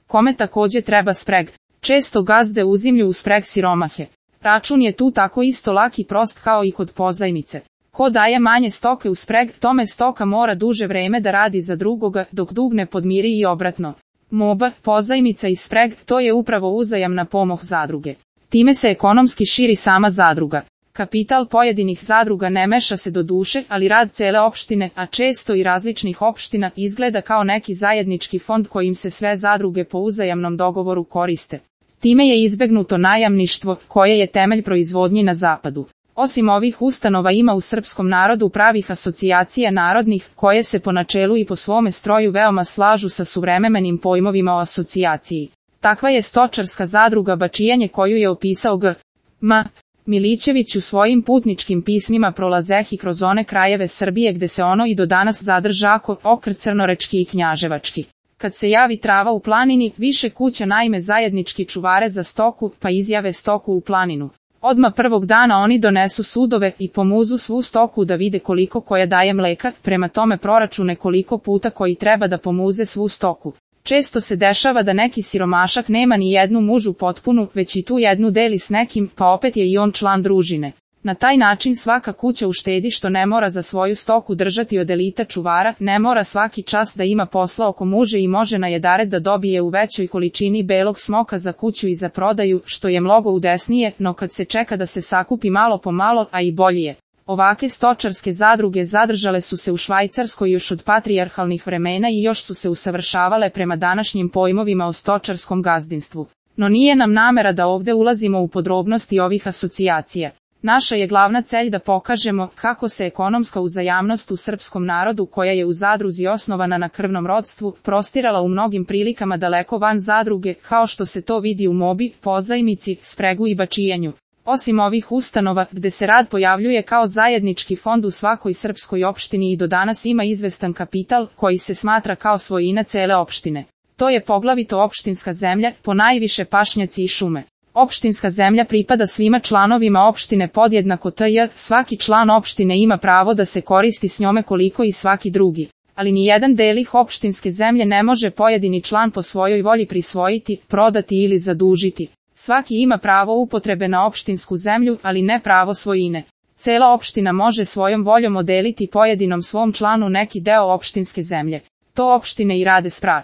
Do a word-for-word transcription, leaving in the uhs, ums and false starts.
kome takođe treba spreg. Često gazde uzimlju u spreg siromahe. Račun je tu tako isto lak i prost kao i kod pozajmice. Ko daje manje stoke u spreg, tome stoka mora duže vreme da radi za drugoga, dok dug ne podmiri i obratno. Moba, pozajmica i spreg, to je upravo uzajamna pomoć zadruge. Time se ekonomski širi sama zadruga. Kapital pojedinih zadruga ne meša se do duše, ali rad cele opštine, a često i različnih opština, izgleda kao neki zajednički fond kojim se sve zadruge po uzajamnom dogovoru koriste. Time je izbegnuto najamništvo, koje je temelj proizvodnji na zapadu. Osim ovih ustanova ima u srpskom narodu pravih asocijacija narodnih, koje se po načelu i po svome stroju veoma slažu sa suvremenim pojmovima o asocijaciji. Takva je stočarska zadruga Bačijanje koju je opisao G. M. Milićević u svojim putničkim pismima prolazehi kroz one krajeve Srbije gde se ono i do danas zadržako, okr crnorečki i knjaževački. Kad se javi trava u planini, više kuća naime zajednički čuvare za stoku, pa izjave stoku u planinu. Odma prvog dana oni donesu sudove i pomuzu svu stoku da vide koliko koja daje mleka, prema tome proračune koliko puta koji treba da pomuze svu stoku. Često se dešava da neki siromašak nema ni jednu mužu potpunu, već i tu jednu deli s nekim, pa opet je i on član družine. Na taj način svaka kuća uštedi što ne mora za svoju stoku držati od elita čuvara, ne mora svaki čas da ima posla oko muže i može na jedared da dobije u većoj količini belog smoka za kuću i za prodaju, što je mnogo udesnije, no kad se čeka da se sakupi malo po malo, a i bolje je. Ovake stočarske zadruge zadržale su se u Švajcarskoj još od patrijarhalnih vremena i još su se usavršavale prema današnjim pojmovima o stočarskom gazdinstvu. No nije nam namera da ovde ulazimo u podrobnosti ovih asocijacija. Naša je glavna celj da pokažemo kako se ekonomska uzajamnost u srpskom narodu koja je u zadruzi osnovana na krvnom rodstvu, prostirala u mnogim prilikama daleko van zadruge, kao što se to vidi u mobi, pozajmici, spregu i bačijanju. Osim ovih ustanova, gde se rad pojavljuje kao zajednički fond u svakoj srpskoj opštini i do danas ima izvestan kapital, koji se smatra kao svojina cele opštine. To je poglavito opštinska zemlja, ponajviše pašnjaci i šume. Opštinska zemlja pripada svima članovima opštine podjednako tj. Svaki član opštine ima pravo da se koristi s njome koliko i svaki drugi. Ali ni jedan delih opštinske zemlje ne može pojedini član po svojoj volji prisvojiti, prodati ili zadužiti. Svaki ima pravo upotrebe na opštinsku zemlju, ali ne pravo svojine. Cela opština može svojom voljom odeliti pojedinom svom članu neki deo opštinske zemlje. To opštine i rade spra.